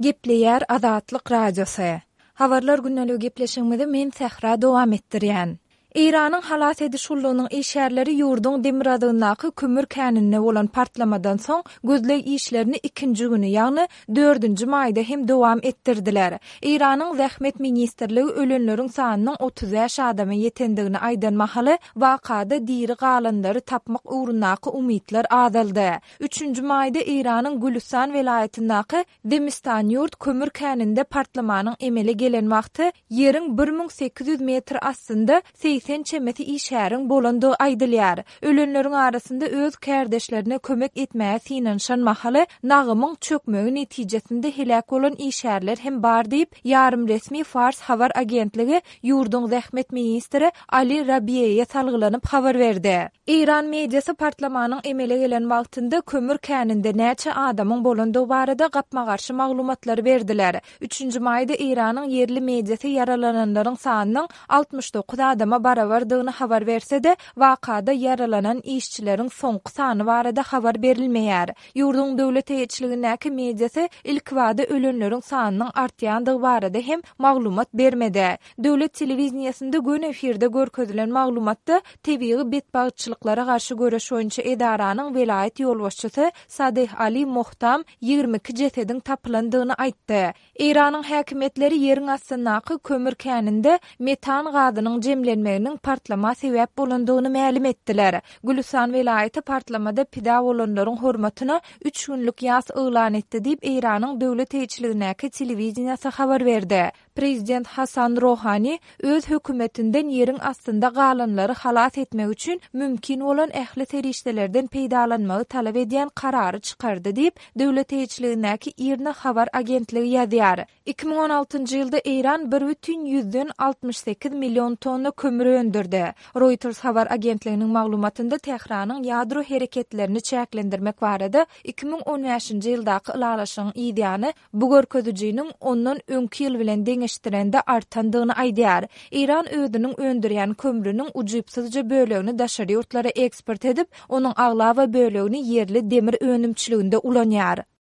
Gepleýär Azatlyk Radiosy. Habarlar gündeligi gepleşigimizi men Sähra dowam etdirýän. Eýranyň halas ediş gullugynyň işgärleri ýurduň demirgazygyndaky kömür käninde bolan partlamadan soň gözleg işlerini ikinji güni, ýagny dördünji maýda hem dowam etdirdiler. Eýranyň Zähmet ministrligi ölenleriň sanynyň 35 adama ýetendigini aýdan mahaly, wakada diri galanlary tapmak ugrundaky umytlar azaldy. Üçünji maýda Eýranyň Gülüstan welaýatyndaky Zemistanýurt kömür käninde partlamanyň emele gelen wagty ýeriň 1800 metr astynda 80 çemesi işgäriň bolandygy aýdylýar. Ölenleriň arasynda öz kärdeşlerine kömek etmäge synanyşan mahaly nagymyň çökmegi netijesinde heläk bolan işgärler hem bar diýip, ýarym resmi Fars habar agentligi ýurduň zähmet ministri Ali Rabiýeýe salgylanyp habar berdi. Eýran mediasy partlamanyň emele gelen wagtynda kömür käninde näçe adamyň bolandygy barada gapma-garşy maglumatlary berdiler. Üçünji maýda Eýranyň ýerli mediasy ýaralananlaryň sanynyň 69 adama barabardygyny habar berse-de, wakada ýaralanan işçileriň soňky sany barada habar berilmeýär. Ýurduň döwlet eýeçiligindäki mediasy ilkibada ölenleriň sanynyň artýandygy barada hem maglumat bermedi. Döwlet telewideniýesinde göni efirde görkezilen maglumatda tebigy betbagtçylyklara garşy göreş boýunça edaranyň welaýat ýolbaşçysy Sadeh Ali Mohtam 22 jesediň tapylandygyny aýtdy. Eýranyň häkimiýetleri ýeriň astyndaky kömür käninde metan gazynyň jemlenmeginiň partlama sebäp bolandygyny mälim etdiler. Gülüstan welaýaty partlamada pida bolanlaryň hormatyna üç günlük ýas yglan etdi diýip, Eýranyň döwlet eýeçiligindäki telewideniýesi habar berdi. Prezident Hasan Rohani öz hökümetinden ýeriň astynda galanlary halas etmek üçin mümkin bolan ähli serişdelerden peýdalanmagy talap edýän karary çykardy diýip, döwlet eýeçiligindäki IRNA habar agentligi ýazýar. 2016-njy ýylda Eýran bir bütin ýüzden 68 million tonna kömür öndürdi. Reuters habar agentliginiň maglumatynda Tähranyň ýadro hereketlerini çäklendirmek barada 2015-nji ýyldaky ylalaşygyň yzýany bu görkezijiniň ondan öňki ýyl bilen deňeşdirende artandygyny aýdýar. Eýran özüniň öndürýän kömrüniň ujypsyzja bölegini daşary ýurtlara eksport edip, onuň aglaba bölegini ýerli demir önümçiliginde ulanýar.